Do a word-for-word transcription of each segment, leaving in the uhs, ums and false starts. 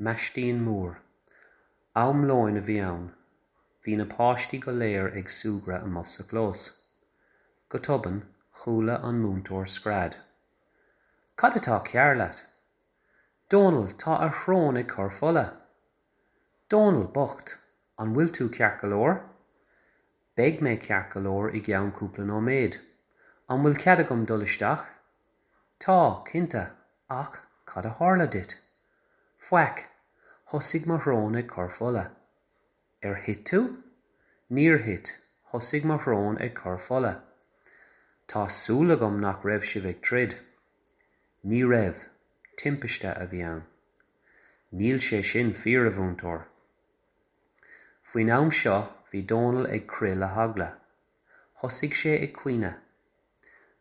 Maistín Mór. Am lóin a bhí ann. Bhí na páistí go léir ag súgradh amuigh sa chlós. Go tobann, chuala an múinteoir scread. Cad atá cearr leat? Dónal, tá a shrón ag cur fola. Dónal bocht, an bhfuil tú ceart go leor? Beidh mé ceart go leor i gceann cúpla nóiméad. An bhfuil cead agam dul isteach? Tá, cinnte, ach cad a tharla duit? Faic, thosaigh mo shrón ag cur fola. Ar thit tú? Níor thit, thosaigh mo shrón ag cur fola. Tá súil agam nach raibh sibh ag troid. Ní raibh, timpiste a bhí ann. Níl sé sin fíor a mhúinteoir. Faoin am seo bhí Dónal ag crith le heagla. Thosaigh sé ag caoineadh.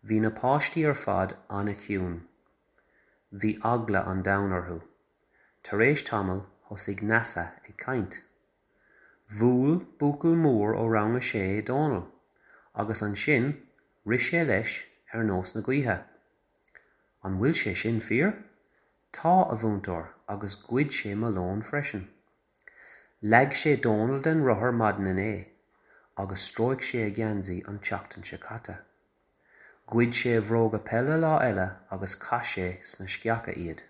Bhí na páistí ar fad an-chiúin. Bhí eagla an domhain orthu. Tar éis tamaill thosaigh Neasa ag caint. Bhuail buachaill mór ó rang a sé Dónal, agus ansin rith sé leis ar nós na gaoithe. An bhfuil sé sin fíor? Tá a mhúinteoir agus ghoid sé mo lón freisin. Leag sé Dónal den rothar maidin inné, agus stróic sé a gheansaí an tseachtain seo caite. Ghoid sé a bhróga peile lá eile agus chaith sé sna sceacha iad.